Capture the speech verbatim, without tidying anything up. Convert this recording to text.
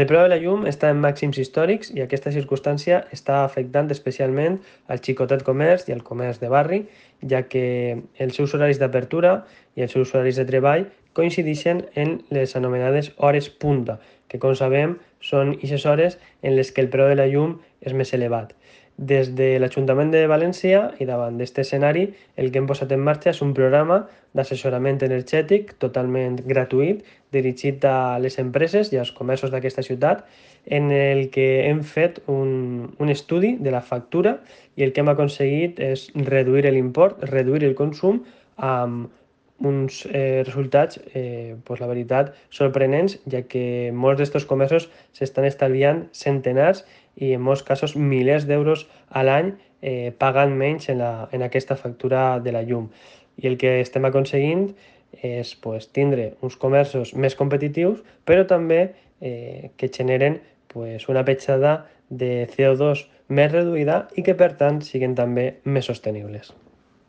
El preu de la llum està en màxims històrics i aquesta circumstància està afectant especialment al xicotet comerç i al comerç de barri, ja que els seus horaris d'apertura i els seus horaris de treball coincideixen en les anomenades hores punta, que com sabem són aquestes hores en les que el preu de la llum és més elevat. Des de l'Ajuntament de València i davant d'aquest escenari, el que hem posat en marxa és un programa d'assessorament energètic totalment gratuït dirigit a les empreses i als comerços d'aquesta ciutat, en el que hem fet un, un estudi de la factura i el que hem aconseguit és reduir l'import, reduir el consum amb uns eh, resultats, eh, pues la veritat, sorprenents, ja que molts d'estos comerços s'estan estalviant centenars i en molts casos milers d'euros a l'any eh, pagant menys en, la, en aquesta factura de la llum. I el que estem aconseguint és pues, tindre uns comerços més competitius, però també eh, que generen pues, una petjada de C O dos més reduïda i que per tant siguin també més sostenibles.